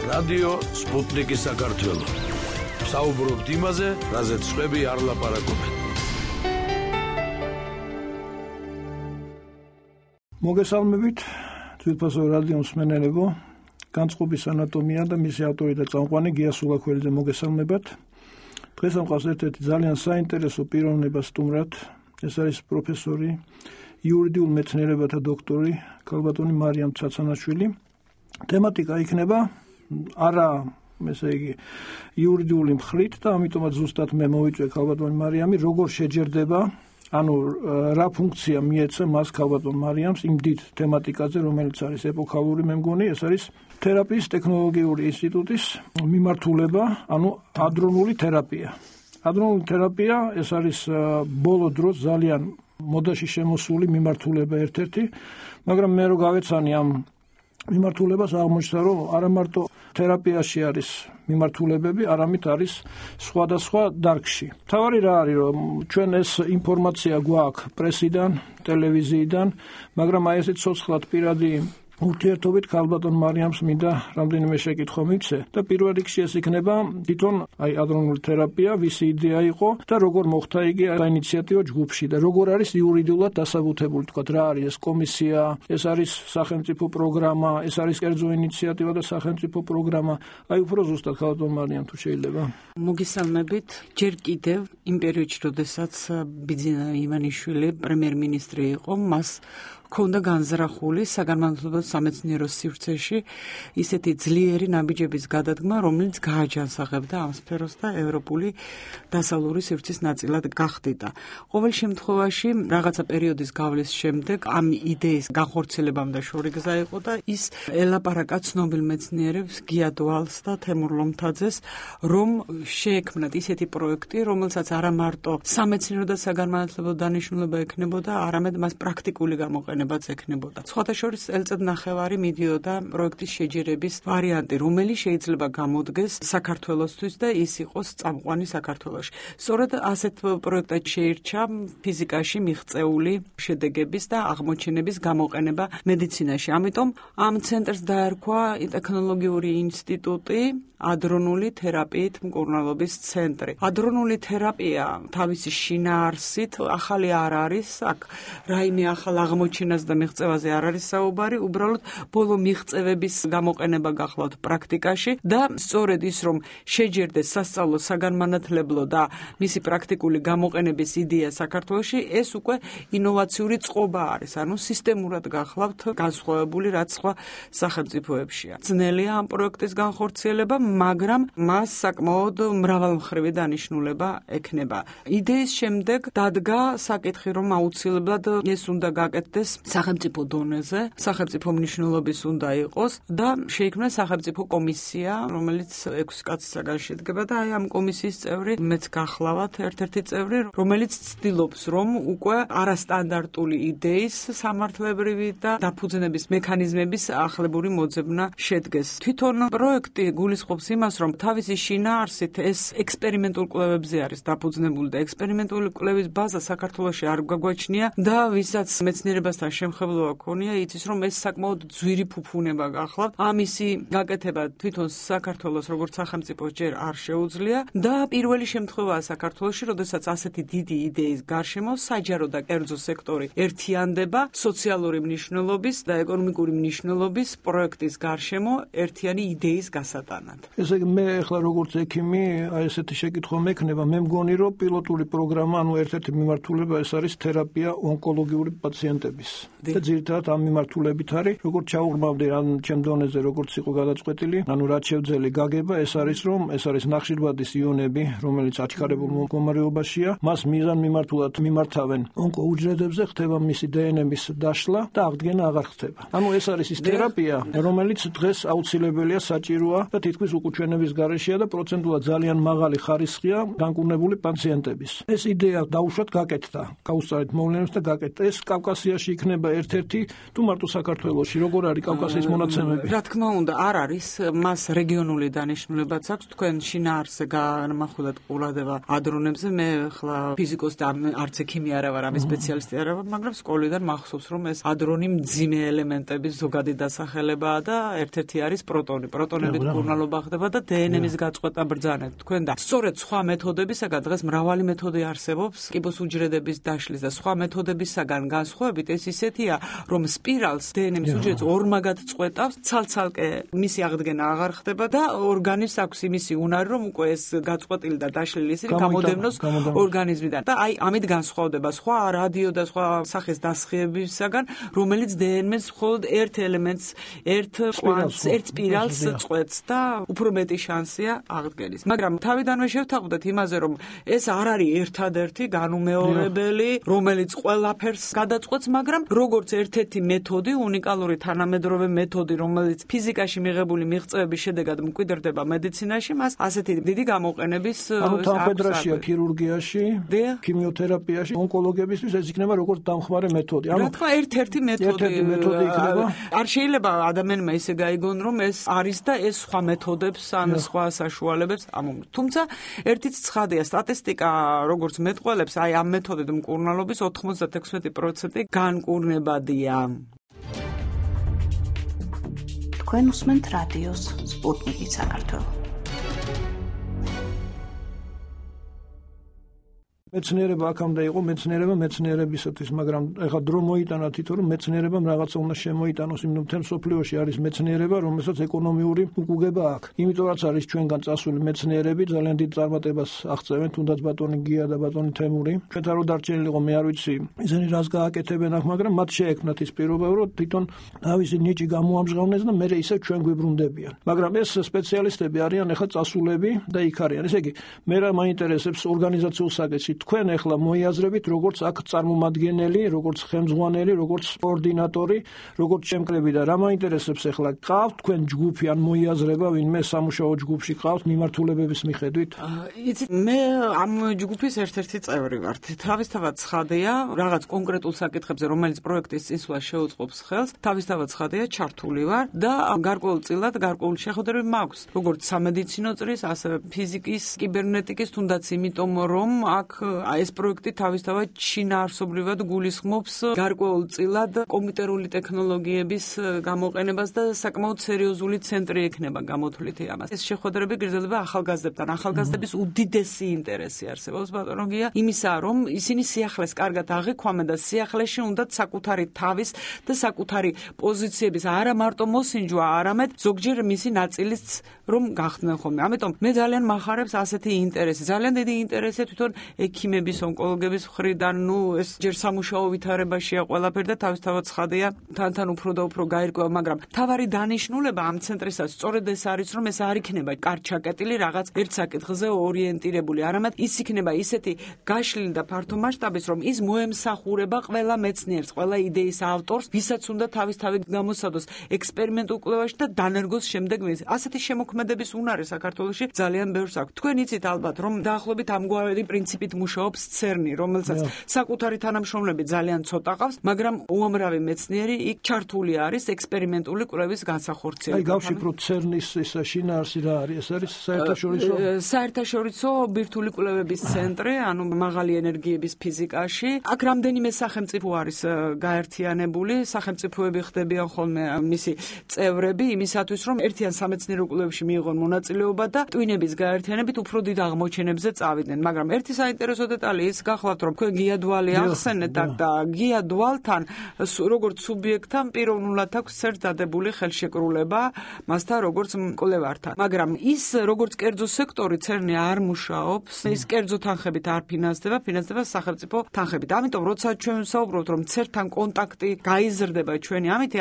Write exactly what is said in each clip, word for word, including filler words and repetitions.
რადიო სპუტნიკი საქართველო. საუბრობთ იმაზე, რაზეც სხვები არ ლაპარაკობენ. მოგესალმებით, თვითფასო რადიო მსმენელებო, განწყობის ანატომია და მისი ავტორი და წამყვანი გია სულაქველიძე მოგესალმებათ. დღეს ამყავს ერთ-ერთი ძალიან საინტერესო პიროვნება სტუმრად, ეს არის პროფესორი, იურიდიულ მეცნიერებათა დოქტორი, ქალბატონი მარიამ ცაცანაშვილი. თემატიკა იქნება არა, ესე იგი, იურიდიული მხრით და ამიტომაც ზუსტად მე მოვიწვე ქალბატონი მარიამი, როგორ შეჯერდება, ანუ რა ფუნქცია მიეცა მას ქალბატონ მარიამს იმ დიდ თემატიკაზე, რომელიც არის ეპოქალური, მე მგონი, ეს არის თერაპიის ტექნოლოგიური ინსტიტუტის მიმართულება, ანუ ადრონული თერაპია. ადრონული თერაპია ეს არის ბოლო დროს ძალიან მოდაში შემოსული მიმართულება ერთ-ერთი, მაგრამ მე რო გავეცანი ამ მიმართულებას აღმოჩნდა, რომ არა მარტო თერაპიაში არის მიმართულებები, არამედ არის სხვადასხვა დარგში. თავარი რა არის, რომ ჩვენ ეს ინფორმაცია გვაქვს პრესიდან, ტელევიზიიდან, მაგრამ აი ესეთ ცოცხლად პირადი ურთიერთობით ქალბატონ მარიამს მინდა რამდენიმე შეკითხვა მივცე და პირველ რიგში ეს იქნება თვითონ აი ადრონული თერაპია, ვისი იდეა იყო და როგორ მოხდა იგი და ინიციატივა ჯგუფში და როგორ არის იურიდიულად დასაბუთებული, თქვა რა არის ეს კომისია, ეს არის სახელმწიფო პროგრამა, ეს არის კერძო ინიციატივა და სახელმწიფო პროგრამა. აი უფრო ზუსტად ქალბატონ მარიამ თუ შეიძლება. მოგესალმებით. ჯერ კიდევ იმ პერიოდში, როდესაც ბიძინა ივანიშვილი პრემიერ-მინისტრი იყო, მას ქონდა განზრახული საგანმანათლებლო სამეცნიერო სივრცეში ისეთი ძლიერი ნაბიჯების გადადგმა, რომელიც გააჯანსაღებდა ამ სფეროს და ევროპული დასავლური სივრცის ნაწილად გახდიდა. ყოველ შემთხვევაში, რაღაცა პერიოდის გავლის შემდეგ ამ იდეის განხორციელებამ და შორი გზა იყო და ის ელაპარაკა ცნობილ მეცნიერებს გია დვალს და თემურ ლომთაძეს, რომ შეექმნათ ისეთი პროექტი, რომელსაც არა მარტო სამეცნიერო და საგანმანათლებლო დანიშნულება ექნებოდა, არამედ მას პრაქტიკული გამოყენება ექნებოდა. სხვათა შორის წელიწად ნახევარი მიდიოდა პროექტის შეჯერების ვარიანტი, რომელიც შეიძლება გამოდგეს საქართველოსთვის და ის იყოს წამყვანი საქართველოში. სწორედ ასეთ პროექტად შეირჩა ფიზიკაში მიღწეული შედეგების და აღმოჩენების გამოყენება მედიცინაში. ამიტომ ამ ცენტრს დაერქვა ტექნოლოგიური ინსტიტუტი, ადრონული თერაპიით მკურნალობის ცენტრი. ადრონული თერაპია თავისი შინაარსით ახალი არ არის, აქ რაიმე ახალ აღმოჩენას და მიღწევაზე არ არის საუბარი, უბრალოდ ბოლო მიღწევების გამოყენება გახლავთ პრაქტიკაში და სწორედ ის, რომ შეჯერდეს სასწავლო, საგანმანათლებლო და მისი პრაქტიკული გამოყენების იდეა საქართველოში, ეს უკვე ინოვაციური წყობა არის, ანუ სისტემურად გახლავთ განსხვავებული რაც სხვა სახელმწიფოებშია. ძნელია ამ პროექტის განხორციელება, მაგრამ მას საკმაოდ მრავალმხრივი დანიშნულება ექნება. იდეის შემდეგ დადგა საკითხი, რომ აუცილებლად ეს უნდა გაკეთდეს სახელმწიფო დონეზე, სახელმწიფო მნიშვნელობის უნდა იყოს და შეიქმნა სახელმწიფო კომისია, რომელიც ექვსი კაცისაგან შედგება და აი ამ კომისიის წევრი მეც გახლავთ ერთ-ერთი წევრი, რომელიც ცდილობს, რომ უკვე არასტანდარტული იდეის სამართლებრივი და დაფუძნების მექანიზმების ახლებური მოძებნა შედგეს. თვითონ პროექტი გულისხმობს იმას, რომ თავისი შინაარსით ეს ექსპერიმენტულ კვლევებზე არის დაფუძნებული და ექსპერიმენტული კვლევის ბაზა საქართველოში არ გვაგვაჩნია და ვისაც მეცნიერებასთან შემხებლობა ქონია, იცის, რომ ეს საკმაოდ ძვირი ფუფუნება გახლავთ. ამისი გაკეთება თვითონ საქართველოს როგორც სახელმწიფო ჯერ არ შეუძლია და პირველი შემთხვევაა საქართველოში, როდესაც ასეთი დიდი იდეის გარშემო საჯარო და კერძო სექტორი ერთიანდება სოციალური მნიშვნელობის და ეკონომიკური მნიშვნელობის პროექტის გარშემო ერთიანი იდეის გასატანად. ესე იგი, მე ახლა როგორც ექიმი, აი ესეთი შეკითხვა მექნება, მე მგონი, რომ პილოტური პროგრამა, ანუ ერთ-ერთი მიმართულება ეს არის თერაპია ონკოლოგიური პაციენტების. და ძირითადად ამ მიმართულებით არის, როგორც ჩაუღრმავდი ან ჩემ დონეზე როგორც იყო გადაწყვეტილი, ანუ რაც შევძელი გაგება, ეს არის, რომ ეს არის ნახშირბადის იონები, რომელიც აჩქარებულ მდგომარეობაშია, მას მიზან მიმართულად მიმართავენ ონკოუჯრედებზე, ხდება მისი დე εν ემის დაშლა და აღდგენა აღარ ხდება. ანუ ეს არის ის თერაპია, რომელიც დღეს აუცილებელია, საჭიროა და თითქმის უკუჩვენების გარეშეა და პროცენტულად ძალიან მაღალი ხარისხია განკურნებული პაციენტების. ეს იდეა დაუშვათ გაკეთდა, გაუსწარეთ მოვლენებს და გაკეთდა. ეს კავკასიაში იქნება ერთ-ერთი თუ მარტო საქართველოში როგორ არის კავკასიის მონაცემები? რა თქმა უნდა, არ არის, მას რეგიონული დანიშნულებაც აქვს. თქვენ შინაარსზე განმახვილად ყურადღება ადრონებზე, მე ხლა ფიზიკოსი და არც ექიმი არა ვარ, ამის სპეციალისტი არა ვარ, მაგრამ სკოლიდან მახსოვს, რომ ეს ადრონი მძიმე ელემენტების ზოგადი დასახელებაა და ერთ-ერთი არის პროტონი. პროტონებით მკურნალობა ხდება და დე ენ ემის გაწყვეტა ბრძანებით. თქვენ და სწორედ სხვა მეთოდებისაგან დღეს მრავალი მეთოდი არსებობს კიბოს უჯრედების დაშლის და სხვა მეთოდებისაგან განსხვავებით ეს ისეთია, რომ სპირალს დე ენ ემის უჯრედს ორმაგად წყვეტავს, ცალ-ცალკე მისი აღდგენა აღარ ხდება და ორგანიზმს აქვს იმისი უნარი, რომ უკვე ეს გაწყვეტილი და დაშლილი ისინი გამოდევნოს ორგანიზმიდან. და აი ამით განსხვავდება სხვა რადიო და სხვა სახის დასხივებისაგან, რომელიც დე ენ ემს მხოლოდ ერთ ელემენტს, ერთ კვანტს, ერთ სპირალს წყვეტს და უფრო მეტი შანსია აღდგენის. მაგრამ თავიდანვე შევთანხმდეთ იმაზე, რომ ეს არ არის ერთადერთი განუმეორებელი, რომელიც ყველაფერს გადაწყვეტს, მაგრამ როგორც ერთ-ერთი მეთოდი, უნიკალური თანამედროვე მეთოდი, რომელიც ფიზიკაში მიღებული მიღწევების შედეგად მკვიდრდება მედიცინაში, მას ასეთი დიდი გამოყენების ანუ თანხმედრაშია ქირურგიაში, ქიმიოთერაპიაში, ონკოლოგიებისთვის ეს იქნება როგორც დამხმარე მეთოდი. ანუ რა თქმა ერთ-ერთი მეთოდი. ერთ-ერთი მეთოდი იქნება. არ შეიძლება ადამიანმა ისე გაიგონ, რომ ეს არის და ეს სხვა მეთოდებს ან სხვა საშუალებებს ამომგ. თუმცა ერთიც ცხადია, სტატისტიკა როგორც მეტყველებს, აი ამ მეთოდით მკურნალობის ოთხმოცდაექვსი პროცენტი განკურნებადია. თქვენ უსმენთ რადიოს სპუტნიკი საქართველო. მეცნიერება აქამდე იყო მეცნიერება მეცნიერებისათვის, მაგრამ ეხლა დრო მოიტანა თვითონ რომ მეცნიერებამ რაღაცა უნდა შემოიტანოს, იმიტომ მთელ სოფლიოში არის მეცნიერება, რომელსაც ეკონომიური უკუგება აქვს. იმიტომაც არის ჩვენგან წასული მეცნიერები ძალიან დიდ წარმატებას აღწევენ, თუნდაც ბატონი გია და ბატონი თემური. ჩვენთან რო დარჩენილი იყო მე არ ვიცი, ისინი რას გააკეთებენ აქ, მაგრამ მათ შეექმნათ ის პირობა, რომ თვითონ თავისი ნიჭი გამოამჟღავნეს და მერე ისე ჩვენ გვიბრუნდებიან. მაგრამ ეს სპეციალისტები არიან ეხლა წასულები და იქ არიან. ესე იგი, მე რა მაინტერესებს ორგანიზაციულ საკითხში თქვენ ახლა მოიაზრებით როგორც აქ წარმომადგენელი, როგორც ხელმძღვანელი, როგორც კოორდინატორი, როგორც ჩემკრები და რა მაინტერესებს ახლა ყავთ თქვენ ჯგუფი ან მოიაზრება ვინმე სამუშაო ჯგუფში ყავთ მიმართულებების მიხედვით? იცით, მე ამ ჯგუფის ერთ-ერთი წევრი ვარ. თავისთავად ცხადია, რაღაც კონკრეტულ საკითხებზე, რომელიც პროექტის წინსვლას შეუწყობს ხელს, თავისთავად ცხადია, ჩართული ვარ და გარკვეულწილად გარკვეული შეხვედრები მაქვს, როგორც სამედიცინო წრის, ასევე ფიზიკის, კიბერნეტიკის, თუნდაც იმიტომ, რომ აქ აი ეს პროექტი თავისთავად შინაარსობრივად გულისხმობს გარკვეულწილად კომპიუტერული ტექნოლოგიების გამოყენებას და საკმაოდ სერიოზული ცენტრი ექნება გამოთვლითი ამას. ეს შეხვედრები გრძელდება ახალგაზრდებთან. ახალგაზრდების უდიდესი ინტერესი არსებობს ბატონოგია იმისა, რომ ისინი სიახლეს კარგად აღიქვამენ და სიახლეში უნდათ საკუთარი თავის და საკუთარი პოზიციების არა მარტო მოსინჯვა, არამედ ზოგჯერ მისი ნაწილიც რომ გახდნენ ხოლმე. ამიტომ მე ძალიან მახარებს ასეთი ინტერესი. ძალიან დიდი ინტერესია თვითონ ექიმების, ონკოლოგების მხრიდან, ნუ ეს ჯერ სამუშაო ვითარებაშია ყველაფერი და თავისთავად ცხადია, თანთან უფრო და უფრო გაირკვევა, მაგრამ თავარი დანიშნულება ამ ცენტრისაც სწორედ ეს არის, რომ ეს არ იქნება კარგ ჩაკეტილი რაღაც ერთ საკითხზე ორიენტირებული, არამედ ის იქნება ისეთი გაშლილი და ფართო მასშტაბის, რომ ის მოემსახურება ყველა მეცნიერს, ყველა იდეის ავტორს, ვისაც უნდა თავისთავად გამოსცადოს ექსპერიმენტულ კვლევაში და დანერგოს შემდეგ მის. ასეთი შემოქმედების უნარი საქართველოში ძალიან ბევრს აქვს. თქვენ იცით ალბათ, რომ დაახლოებით ამგვარი პრინციპით მუშაობს ცერნი, რომელსაც საკუთარი თანამშრომლები ძალიან ცოტა ყავს, მაგრამ უამრავი მეცნიერი იქ ჩართული არის ექსპერიმენტული კვლევის განსახორციელებაში. აი გავშიფროთ ცერნის ეს შინაარსი რა არის? ეს არის საერთაშორისო საერთაშორისო ბირთვული კვლევების ცენტრი, ანუ მაღალი ენერგიების ფიზიკაში. აქ რამდენიმე სახელმწიფო არის გაერთიანებული, სახელმწიფოები ხდებიან ხოლმე მისი წევრები იმისათვის, რომ ერთიან სამეცნიერო კვლევებში მიიღონ მონაწილეობა და ტვინების გაერთიანებით უფრო დიდ აღმოჩენებზე წავიდნენ. მაგრამ ერთი საინტერესო დეტალი ის გახლავთ, რომ თქვენ გიადვალი ახსენეთ და გიადვალთან როგორც სუბიექტთან პიროვნულად აქვს ერთ დადებული ხელშეკრულება მასთან როგორც მკვლევართან. მაგრამ ის როგორც კერძო სექტორი ცერნი არ მუშაობს, ის კერძო თანხებით არ ფინანსდება, ფინანსდება სახელმწიფო თანხებით. ამიტომ როცა ჩვენ ვსაუბრობთ, რომ ცერნთან კონტაქტი გაიზრდება ჩვენი, ამით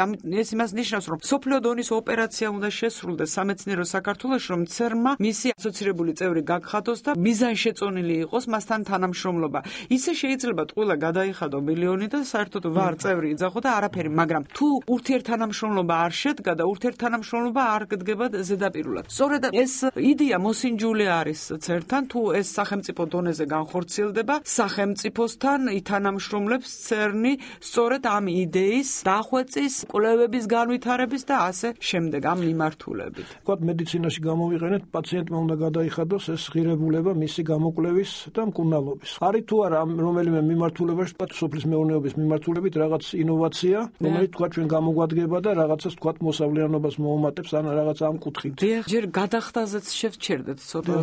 ეს იმას ნიშნავს, რომ სოფლიო დონის ოპერაცია უნდა შესრულდეს სამეცნიერო საქართველოში, რომ ცერნმა მისი ასოცირებული წევრი გაგხადოს და მიზანშეწონილი იყოს მასთან თანამშრომლობა. ისე შეიძლება ტყუილა გადაიხადო მილიონი და საერთოდ ვარ წევრი იძახო და არაფერი, მაგრამ თუ ურთიერთთანამშრომლობა არ შედგა და ურთიერთთანამშრომლობა არ გდგება ზედაპირულად. სწორედ ეს იდეა მოსინჯული არის ცერთან, თუ ეს სახელმწიფო დონეზე განხორციელდება, სახელმწიფოსთან ითანამშრომლებს ცერნი სწორედ ამ იდეის დახვეწის, კვლევების განვითარების და ასე შემდეგ ამ მიმართულებით. ვთქვათ, მედიცინაში გამოვიყენეთ, პაციენტმა უნდა გადაიხადოს ეს ღირებულება მისი გამოკვლევის და მკურნალობის. არის თუ არა რომელიმე მიმართულებაში, ვთქვათ, სოფლის მეურნეობის მიმართულებით რაღაც ინოვაცია, რომელიც თქვა ჩვენ გამოგვადგება და რაღაცას თქვა მოსავლიანობას მოუმატებს ან რაღაც ამ კუთხით. ჯერ გადახდაზეც შევჩერდეთ ცოტა,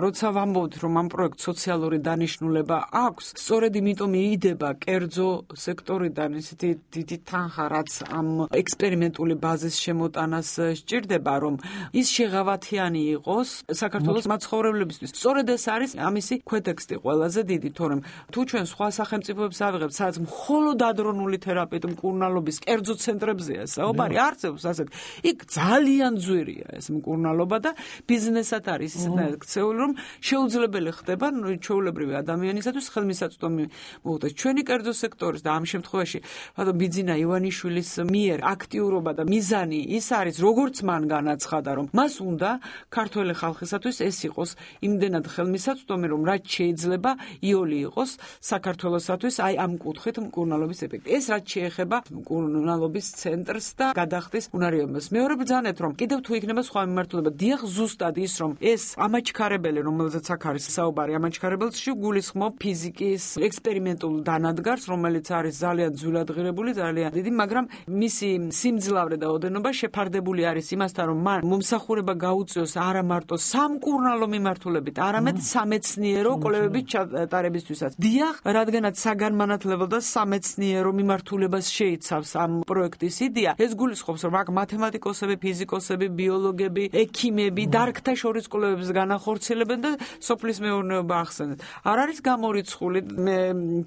როცა ვამბობთ, რომ ამ პროექტს სოციალური დანიშნულება აქვს, სწორედ იმიტომ მიიდება კერძო სექტორიდან ისეთი დიდი თანხა, რაც ამ ექსპერიმენტული ბაზის შემოტანას სჭირდება, რომ ის შეღავათიანი იყოს საქართველოს მაცხოვრებლებისთვის. სწორედ ეს არის ამისი ქვეტექსტი ყველაზე დიდი, თორემ თუ ჩვენ სხვა სახელმწიფოებს ავიღებთ, სადაც მხოლოდ ადრონული თერაპიით მკურნალობის კერძო ცენტრებზეა საუბარი, არსებობს ასეთ. იქ ძალიან ძვირია ეს მკურნალობა და ბიზნესად არის ისეთნაირად ქცეული, რომ შეუძლებელი ხდება ჩვეულებრივი ადამიანისათვის ხელმისაწვდომი მოუწეს. ჩვენი კერძო სექტორის და ამ შემთხვევაში ბიძინა ივანიშვილის მიერ აქტიურობა და მიზანი ის არის, როგორც მან განაცხადა, რომ მას უნდა ქართველი ხალხისათვის ეს იყოს იმდენად ხელმისაწვდომი, რომ რაც შეიძლება იოლი იყოს საქართველოსათვის აი ამ კუთხით მკურნალობის ეფექტი. ეს რაც შეეხება მკურნალობის ცენტრს და გადახდის უნარიობას. მეორე ბრძანეთ, რომ კიდევ თუ იქნება სხვა მიმართულება, დიახ, ზუსტად ის, რომ ეს ამაჩქარებელი, რომელზეც აქ არის საუბარი, ამაჩქარებელში გულისხმობ ფიზიკის ექსპერიმენტულ დანადგარს, რომელიც არის ძალიან ძვირად ღირებული, ძალიან დიდი, მაგრამ მისი სიმძლავრე და ოდენობა შეფარდებული არის იმასთან, რომ მან მომსახურება გაუწიოს არა მარტო სამკურნალო მიმართულებით, არამედ სამეცნიერო კვლევების ჩატარებისთვისაც. დიახ, რადგანაც საგანმანათლებლო და სამეცნიერო მიმართულებას შეიცავს ამ პროექტის იდეა, ეს გულისხმობს, რომ აქ მათემატიკოსები, ფიზიკოსები, ბიოლოგები, ექიმები, დარგთა შორის კვლევებს განახორციელებენ და სოფლის მეურნეობა ახსენეთ. არ არის გამორიცხული, მე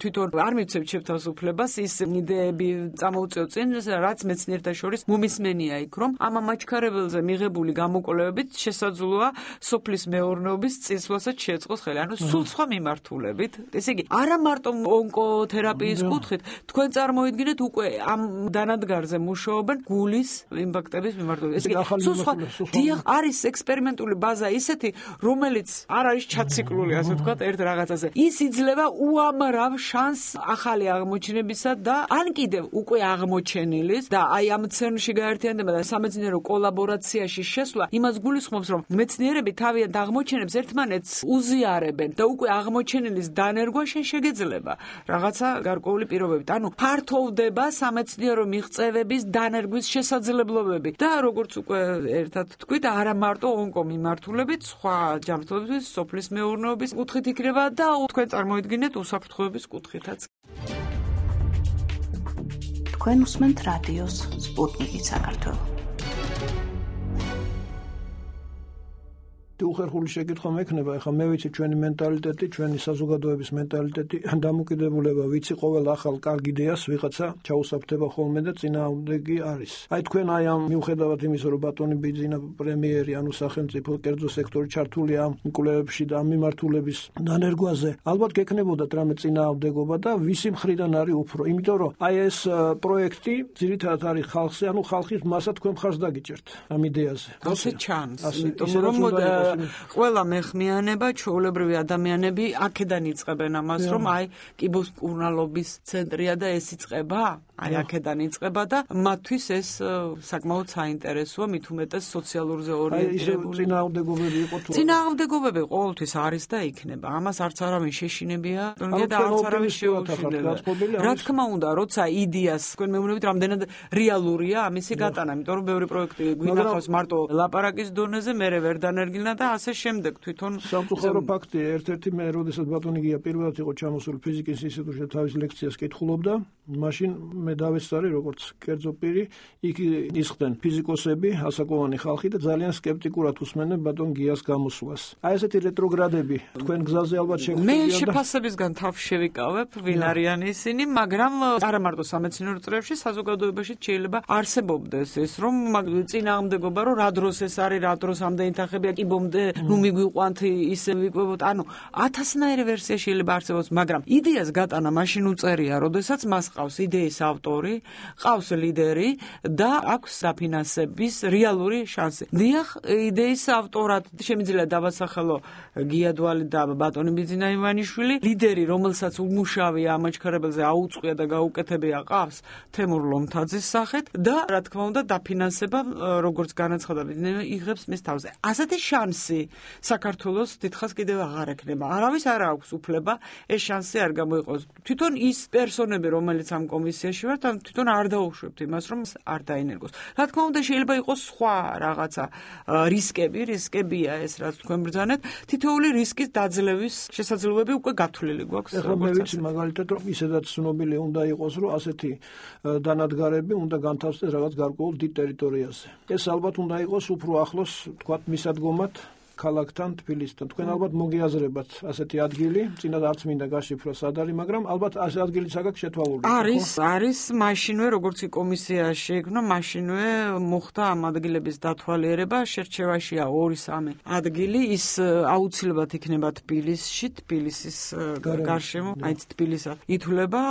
თვითონ არ მივცემ შეთავაზულებას ის იდეები წამოუწიო წინ, რაც მეცნიერთა შორის მომისმენია იქ, რომ ამ ამაჩქარებელზე მიღებული გამოკვლევებით შესაძლოა სოფლის მეურნეობის წინსვლასაც შეეწყოს ხელი. ანუ სულ სხვა მიმართულებით. ესე იგი, არა მარტო ონკოთერაპიის კუთხით, თქვენ წარმოიდგინეთ უკვე ამ დანადგარზე მუშაობენ გულის იმპაქტების მიმართულებით. ესე იგი, სულ სხვა დიახ, არის ექსპერიმენტული ბაზა ისეთი, რომელიც არ არის ჩაციკლული, ასე ვთქვათ, ერთ რაღაცაზე. ის იძლევა უამრავ შანსს ახალი აღმოჩენებისა და ან კიდევ უკვე აღმოჩენილის და აი ამ ცერნში გაერთიანება და სამეცნიერო კოლაბორაციაში შესვლა იმას გულისხმობს, რომ მეცნიერები თავიანთ აღმოჩენებს ერთმანეთს უზიარებენ და უკვე აღმოჩენილის დანერგვა შენ შეგეძლება რაღაცა გარკვეული პირობებით. ანუ ფართოვდება სამეცნიერო მიღწევების დანერგვის შესაძლებლობები და როგორც უკვე ერთად თქვით, არა მარტო ონკო მიმართულებით, სხვა ჯანმრთელობის, სოფლის მეურნეობის კუთხით იქნება და თქვენ წარმოიდგინეთ უსაფრთხოების კუთხითაც. თქვენ უსმენთ რადიოს სპუტნიკი საქართველო. თუ უხერხული შეკითხვა მექნება, ეხლა მე ვიცი ჩვენი მენტალიტეტი, ჩვენი საზოგადოების მენტალიტეტი, დამოკიდებულება, ვიცი ყოველ ახალ კარგ იდეას ვიღაცა ჩაუსაფრთხება ხოლმე და წინააღმდეგი არის. აი თქვენ აი ამ მიუხედავად იმისა, რომ ბატონი ბიძინა პრემიერი, ანუ სახელმწიფო კერძო სექტორი ჩართულია ამ კვლევებში და ამ მიმართულების დანერგვაზე, ალბათ გექნებოდათ რამე წინააღმდეგობა და ვისი მხრიდან არის უფრო. იმიტომ რომ აი ეს პროექტი ძირითადად არის ხალხზე, ანუ ხალხის მასა თქვენ მხარს დაგიჭერთ ამ იდეაზე. ასე ჩანს, იმიტომ რომ ყველა მეხმიანება, ჩვეულებრივი ადამიანები აქედან იწყებენ ამას, რომ აი კიბოს მკურნალობის ცენტრია და ეს იწყება, აი აქედან იწყება და მათთვის ეს საკმაოდ საინტერესოა, მით უმეტეს სოციალურზე ორიენტირებული. აი წინააღმდეგობები იყო თუ წინააღმდეგობები ყოველთვის არის და იქნება. ამას არც არავინ შეშინებია და არც არავინ შეუშინდება. რა თქმა უნდა, როცა იდეას თქვენ მეუბნებით, რამდენად რეალურია ამისი გატანა, იმიტომ რომ ბევრი პროექტი გვინახავს მარტო ლაპარაკის დონეზე, მერე ვერ დანერგილნა და ასე შემდეგ თვითონ სამწუხარო ფაქტია, ერთ-ერთი მე როდესაც ბატონი გია პირველად იყო ჩამოსული ფიზიკის ინსტიტუტში თავის ლექციას კითხულობდა, მაშინ მე დავესწარი როგორც კერძო პირი, იქ ისხდნენ ფიზიკოსები, ასაკოვანი ხალხი და ძალიან სკეპტიკურად უსმენდნენ ბატონ გიას გამოსვლას. აი ესეთი რეტროგრადები თქვენ გზაზე ალბათ შეგვიძლია. მე შეფასებისგან თავს შევიკავებ, ვინ არიან ისინი, მაგრამ არა მარტო სამეცნიერო წრეებში, საზოგადოებაში შეიძლება არსებობდეს ეს, რომ წინააღმდეგობა, რომ რა დროს ეს არის, რა დროს ამდენი თანხებია, კი ბომდე, ნუ მიგვიყვანთ, ისე ვიკვებოთ. ანუ ათასნაირი ვერსია შეიძლება არსებობს, მაგრამ იდეას გატანა მაშინ უწერია, როდესაც მას ყავს იდეის ავტორი, ყავს ლიდერი და აქვს საფინანსების რეალური შანსი. დიახ, იდეის ავტორად შემიძლია დავასახელო გიადვალი და ბატონი ბიძინა ივანიშვილი, ლიდერი, რომელსაც უმუშავია ამაჩქარებელზე აუწყია და გაუკეთებია ყავს თემურ ლომთაძის სახით და რა თქმა უნდა დაფინანსება როგორც განაცხადა ბიძინა იღებს მის თავზე. ასეთი შანსი საქართველოს დიდხანს კიდევ აღარ ექნება. არავის არ აქვს უფლება ეს შანსი არ გამოიყოს. თვითონ ის პერსონები, რომელიც ამ კომისიაში ვართ, ან თვითონ არ დაუშვებთ იმას, რომ არ დაინერგოს. რა თქმა უნდა, შეიძლება იყოს სხვა რაღაცა რისკები, რისკებია ეს, რაც თქვენ ბრძანეთ. თითოეული რისკის დაძლევის შესაძლებლობები უკვე გათვლილი გვაქვს. ეხლა მე ვიცი მაგალითად, რომ ისედაც ცნობილი უნდა იყოს, რომ ასეთი დანადგარები უნდა განთავსდეს რაღაც გარკვეულ დიდ ტერიტორიაზე. ეს ალბათ უნდა იყოს უფრო ახლოს, თქვათ, მისადგომად ქალაქთან, თბილისთან. თქვენ ალბათ მოგიაზრებათ ასეთი ადგილი, წინათ არც მინდა გაშიფრო სად არის, მაგრამ ალბათ ასეთი ადგილიც აქ შეთვალული. არის, არის, მაშინვე როგორც კომისია შეიქმნა, მაშინვე მოხდა ამ ადგილების დათვალიერება, შერჩევაშია ორი სამი ადგილი, ის აუცილებლად იქნება თბილისში, თბილისის გარშემო, აი თბილისად ითვლება,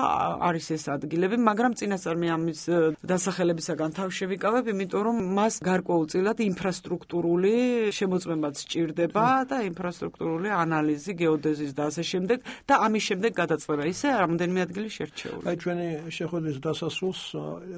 არის ეს ადგილები, მაგრამ წინასწარ მე ამის დასახელებისაგან თავს შევიკავებ, იმიტომ რომ მას გარკვეულწილად ინფრასტრუქტურული შემოწმებაც ჭირდება და ინფრასტრუქტურული ანალიზი, გეოდეზის და ასე შემდეგ და ამის შემდეგ გადაწყვეტა. ისე რამდენიმე ადგილი შერჩეული. აი ჩვენი შეხვედრის დასასრულს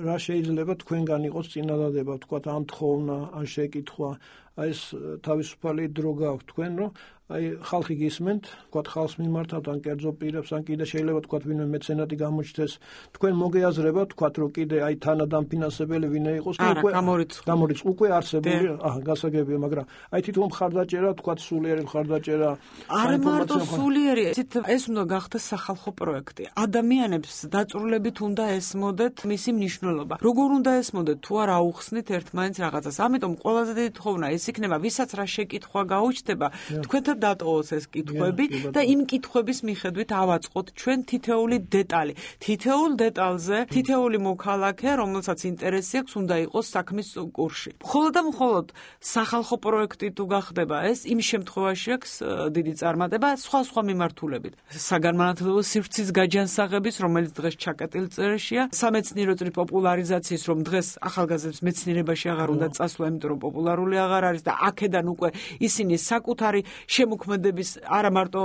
რა შეიძლება თქვენგან იყოს წინადადება, თქვათ ამ თხოვნა, ან შეკითხვა, აი ეს თავისუფალი დრო გაქვთ თქვენ, რომ აი ხალხი გისმენთ, თქვათ ხალხს მიმართავთ ან კერძო პირებს, ან კიდე შეიძლება თქვათ ვინმე მეცენატი გამოჩნდეს, თქვენ მოგეაზრებათ, თქვათ რომ კიდე აი თანადამფინანსებელი ვინმე იყოს, უკვე გამორიცხ უკვე არსებული, აჰა, გასაგებია, მაგრამ აი თვითონ მხარდაჭერა, თქვათ სულიერი მხარდაჭერა, არა მარტო სულიერი, ეს უნდა გახდეს სახალხო პროექტი. ადამიანებს დაწვრილებით უნდა ესმოდეთ მისი მნიშვნელობა. როგორ უნდა ესმოდეთ, თუ არ აუხსნით ერთმანეთს რაღაცას. ამიტომ ყველაზე დიდი თხოვნა ის იქნება, ვისაც რა შეკითხვა გაუჩნდება, თქვენთან დატოვოს ეს კითხვები და იმ კითხვების მიხედვით ავაწყოთ ჩვენ თითეული დეტალი. თითოეულ დეტალზე, თითოეული მოქალაქე, რომელსაც ინტერესი აქვს, უნდა იყოს საქმის კურსში. მხოლოდ და მხოლოდ სახალხო პროექტი თუ გახდება ეს, იმ შემთხვევაში აქვს დიდი წარმატება სხვა სხვა მიმართულებით. საგანმანათლებლო სივრცის გაჯანსაღების, რომელიც დღეს ჩაკეტილ წერაშია, სამეცნიერო წრის პოპულარიზაციის, რომ დღეს ახალგაზრდებს მეცნიერებაში აღარ უნდა წასვლა, იმიტომ რომ პოპულარული აღარ არის და აქედან უკვე ისინი საკუთარი შემოქმედების არა მარტო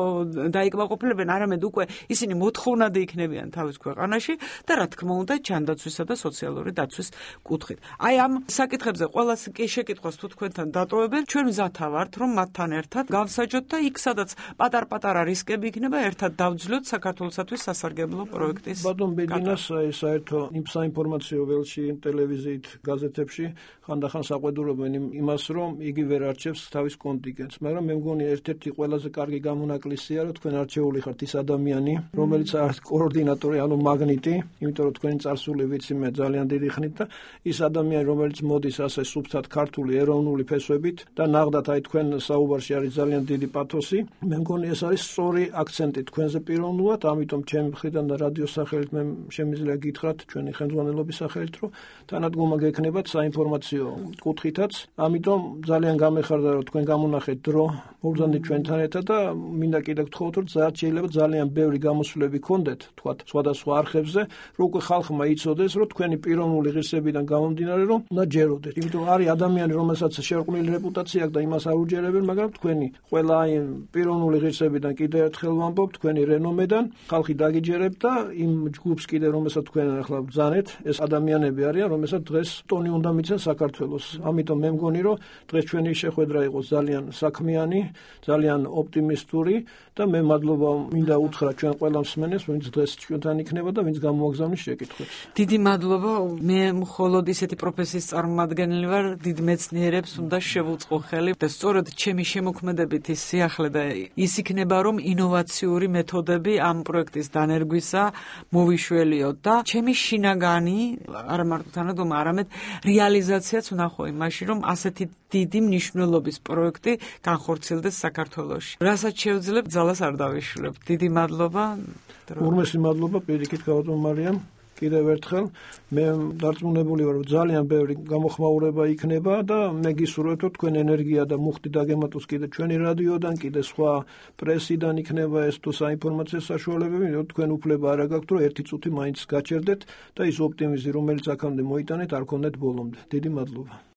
დაიკმაყოფილებენ, არამედ უკვე ისინი მოთხოვნადი იქნებიან თავის ქვეყანაში და რა თქმა უნდა ჯანდაცვისა და სოციალური დაცვის კუთხით. აი ამ საკითხებზე ყოველას კი შეკითხვას თუ თქვენთან დატოვებენ, ჩვენ მზათა ვართ, რომ მათთან ერთად გავსაჯოთ და იქ სადაც პატარ-პატარა რისკები იქნება, ერთად დავძლოთ საქართველოსათვის სასარგებლო პროექტის. ბატონ ბეჯინას აი საერთო იმ საინფორმაციო ველში, ტელევიზიით, გაზეთებში ხანდახან საყვედურობენ იმას, რომ იგი ვერ არჩევს თავის კონტინგენტს, მაგრამ მე მგონი ერთ-ერთი ყველაზე კარგი გამონაკლისია, რომ თქვენ არჩეული ხართ ის ადამიანი, რომელიც არის კოორდინატორი, ანუ მაგნიტი, იმიტომ რომ თქვენი წარსული ვიცი მე ძალიან დიდი ხნით და ის ადამიანი, რომელიც მოდის ასე სუფთად ქართული ეროვნული ფესვებით და ნახდათ აი თქვენ საუბარში არის ძალიან დიდი პათოსი. მე მგონი ეს არის სწორი აქცენტი თქვენზე პიროვნულად, ამიტომ ჩემი მხრიდან და რადიოს სახელით მე შემიძლია გითხრათ ჩვენი ხელმძღვანელობის სახელით, რომ თანადგომა გექნებათ საინფორმაციო კუთხითაც. ამიტომ ძალიან გამეხარდა, რომ თქვენ გამონახეთ დრო მოგზავნით ჩვენთან ერთად და მინდა კიდე გთხოვოთ, რომ შეიძლება ძალიან ბევრი გამოსვლები გქონდეთ, თქვათ, სხვადასხვა არხებზე, რომ უკვე ხალხმა იცოდეს, რომ თქვენი პიროვნული ღირსებიდან გამომდინარე, რომ უნდა ჯეროდეთ. იმიტომ არის ადამიანი, რომელსაც შერყვნილი რეპუტაცია აქვს და იმას არ უჯერებენ, მაგრამ თქვენი ყველა აი პიროვნული ღირსებიდან კიდე ერთხელ ვამბობ, თქვენი რენომედან ხალხი დაგიჯერებთ და იმ ჯგუფს კიდე რომელსაც თქვენ ახლა ბრძანეთ, ეს ადამიანები არიან, რომელსაც დღეს ტონი უნდა მიცენ საქართველოს. ამიტომ მე მგონი, რომ დღეს ჩვენი შეხვედრა იყო ძალიან საქმიანი, ძალიან ოპტიმისტური და მე მადლობა მინდა უთხრა ჩვენ ყველა მსმენელს, ვინც დღეს ჩვენთან იქნება და ვინც გამოაგზავნის შეკითხვებს. დიდი მადლობა. მე მხოლოდ ისეთი პროფესიის წარმომადგენელი ვარ, დიდ მეცნიერებს უნდა შევუწყო ხელი და სწორედ ჩემი შემოქმედებითი სიახლე და ის იქნება, რომ ინოვაციური მეთოდები ამ პროექტის დანერგვისა მოვიშველიოთ და ჩემი შინაგანი არა მარტო თანადგომა, არამედ რეალიზაციაც ვნახო იმაში, რომ ასეთი დიდი მნიშვნელობის პროექტი განხორციელდეს საქართველოში. რასაც შევძლებ, ძალას არ დავიშვლებ. დიდი მადლობა. ურმესი მადლობა პირიქით გავატო მარიამ. კიდევ ერთხელ მე დარწმუნებული ვარ, რომ ძალიან ბევრი გამოხმაურება იქნება და მე გისურვებთ, რომ თქვენ ენერგია და მუხტი დაგემატოს კიდე ჩვენი რადიოდან, კიდე სხვა პრესიდან იქნება ეს თუ საინფორმაციო საშუალებები, რომ თქვენ უფლება არ აგაქვთ, რომ ერთი წუთი მაინც გაჩერდეთ და ის ოპტიმიზმი, რომელიც აქამდე მოიტანეთ, არ ქონდეთ ბოლომდე. დიდი მადლობა.